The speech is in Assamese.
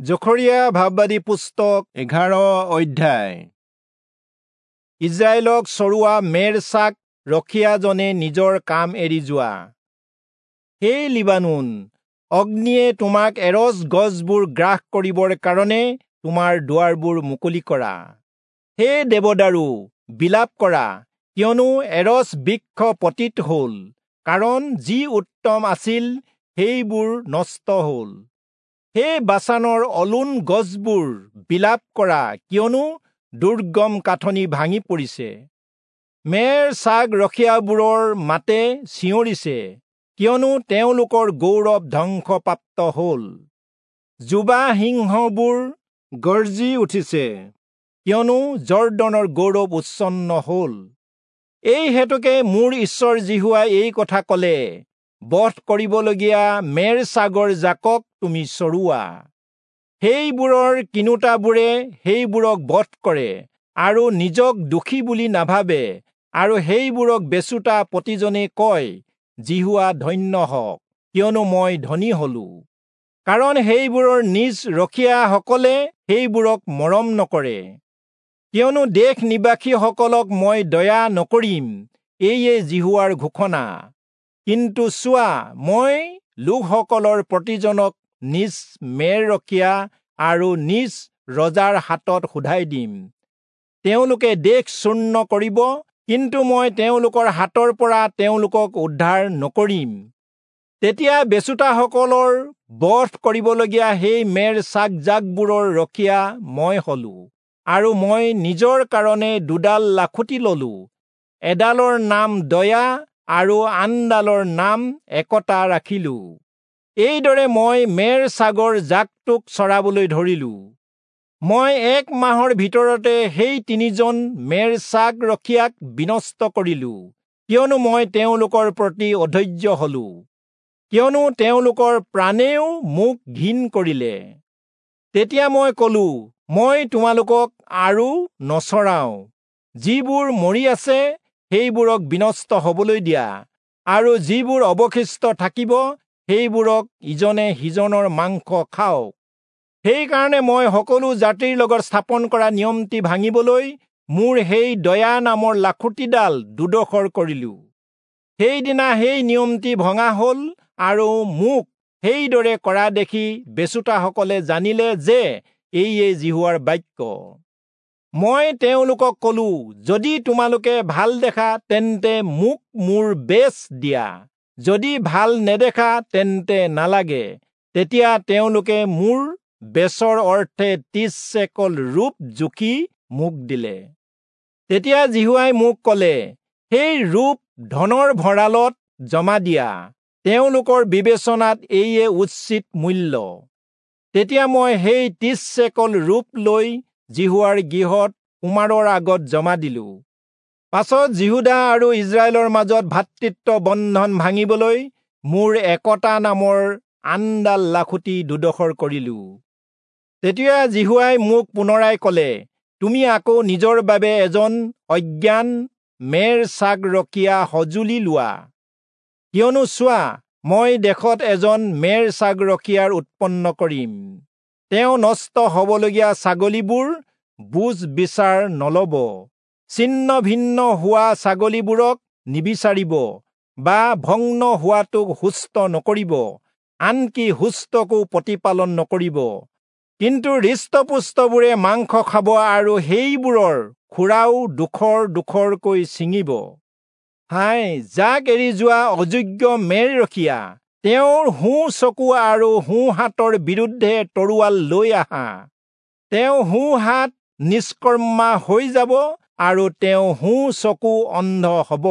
জখৰিয়া ভাববাদী পুস্তক 11 অধ্যায়। ইজৰাইলক চৰোৱা মেৰ ছাগ ৰখীয়াজনে নিজৰ কাম এৰি যোৱা। হে লিবানোন, অগ্নিয়ে তোমাক এৰচ গছবোৰ গ্ৰাস কৰিবৰ কাৰণে তোমাৰ দুৱাৰবোৰ মুকলি কৰা। হে দেৱদাৰু, বিলাপ কৰা, কিয়নো এৰচ বৃক্ষ পতিত হ'ল, কাৰণ যি উত্তম আছিল সেইবোৰ নষ্ট হ'ল। হে বাচানৰ অলোন গছবোৰ, বিলাপ কৰা, কিয়নো দুৰ্গম কাঠনি ভাঙি পৰিছে। মেৰ ছাগ ৰখীয়াবোৰৰ মাতে চিঞৰিছে, কিয়নো তেওঁলোকৰ গৌৰৱ ধ্বংসপ্ৰাপ্ত হ'ল। যুৱা সিংহবোৰ গৰ্জি উঠিছে, কিয়নো যৰ্দনৰ গৌৰৱ উচ্ছন্ন হ'ল। এই হেতুকে মোৰ ঈশ্বৰ যিহোৱাই এই কথা ক'লে, বধ কৰিবলগীয়া মেৰ ছাগৰ জাকক তুমি চৰোৱা। সেইবোৰৰ কিনোতাবোৰে সেইবোৰক বধ কৰে আৰু নিজক দোষী বুলি নাভাবে, আৰু সেইবোৰক বেচোতা প্ৰতিজনে কয়, যিহোৱা ধন্য হওক, কিয়নো মই ধনী হলো। কাৰণ সেইবোৰৰ নিজ ৰখীয়াসকলে সেইবোৰক মৰম নকৰে। কিয়নো দেশ নিবাসীসকলক মই দয়া নকৰিম, এয়ে যিহোৱাৰ ঘোষণা। কিন্তু চোৱা, মই লোকসকলৰ প্ৰতিজনক নিজ মেৰ ৰখীয়া আৰু নিজ ৰজাৰ হাতত শোধাই দিম। তেওঁলোকে দেশ চূৰ্ণ কৰিব, কিন্তু মই তেওঁলোকৰ হাতৰ পৰা তেওঁলোকক উদ্ধাৰ নকৰিম। তেতিয়া বেচোতাসকলৰ বধ কৰিবলগীয়া সেই মেৰ ছাগ জাকবোৰৰ ৰখীয়া মই হলো, আৰু মই নিজৰ কাৰণে দুডাল লাখুটি ললো, এডালৰ নাম দয়া আৰু আনডালৰ নাম একতা ৰাখিলো। এইদৰে মই মেৰ ছাগৰ জাকটোক চৰাবলৈ ধৰিলো। মই এক মাহৰ ভিতৰতে সেই তিনিজন মেৰ ছাগ ৰখীয়াক বিনষ্ট কৰিলো, কিয়নো মই তেওঁলোকৰ প্ৰতি অধৈৰ্য হলো, কিয়নো তেওঁলোকৰ প্ৰাণেও মোক ঘিণ কৰিলে। তেতিয়া মই কলো, মই তোমালোকক আৰু নচৰাওঁ। যিবোৰ মৰি আছে সেইবোৰক বিনষ্ট হবলৈ দিয়া, আৰু যিবোৰ অৱশিষ্ট থাকিব সেইবোৰক ইজনে সিজনৰ মাংস খাওক। সেইকাৰণে মই সকলো জাতিৰ লগত স্থাপন কৰা নিয়মটি ভাঙিবলৈ মোৰ সেই দয়া নামৰ লাখুটিডাল দুডোখৰ কৰিলো। সেইদিনা সেই নিয়মটি ভঙা হ'ল, আৰু মোক সেইদৰে কৰা দেখি বেচোতাসকলে জানিলে যে এইয়ে যিহোৱাৰ বাক্য। মই তেওঁলোকক কলো, যদি তোমালোকে ভাল দেখা তেন্তে মোক মোৰ বেচ দিয়া, যদি ভাল নেদেখা তেন্তে নালাগে। তেতিয়া তেওঁলোকে মোৰ বেচৰ অৰ্থে 30 চেকল ৰূপ জুখি মোক দিলে। তেতিয়া যিহোৱাই মোক ক'লে, সেই ৰূপ ধনৰ ভঁৰালত জমা দিয়া, তেওঁলোকৰ বিবেচনাত এইয়ে উচিত মূল্য। তেতিয়া মই সেই 30 চেকল ৰূপ লৈ যিহোৱাৰ গৃহত কুমাৰৰ আগত জমা দিলো। পাছত যিহূদা আৰু ইজৰাইলৰ মাজত ভাতৃত্ব বন্ধন ভাঙিবলৈ মোৰ একতা নামৰ আনডাল লাখুটি দুডোখৰ কৰিলো। তেতিয়া যিহোৱাই মোক পুনৰাই ক'লে, তুমি আকৌ নিজৰ বাবে এজন অজ্ঞান মেৰ ছাগ ৰখীয়া সঁজুলি লোৱা। কিয়নো চোৱা, মই দেশত এজন মেৰ ছাগ ৰখীয়াৰ উৎপন্ন কৰিম। তেওঁ নষ্ট হবলগীয়া ছাগলীবোৰ বুজ বিচাৰ নলব, ছিন্ন ভিন্ন হোৱা ছাগলীবোৰক নিবিচাৰিব, বা ভগ্ন হোৱাটোক সুস্থ নকৰিব, আনকি সুস্থকো প্ৰতিপালন নকৰিব। কিন্তু হৃষ্টপুষ্টবোৰে মাংস খাব আৰু সেইবোৰৰ খুৰাও ডোখৰ ডোখৰকৈ ছিঙিব। হায়, যাক এৰি যোৱা অযোগ্য মেৰ ৰখীয়া, তেওঁৰ সোঁ চকু আৰু সোঁ হাতৰ বিৰুদ্ধে তৰোৱাল লৈ আহা। তেওঁ সোঁ হাত নিষ্কৰ্মা হৈ যাব আৰু তেওঁ সোঁ চকু অন্ধ হব।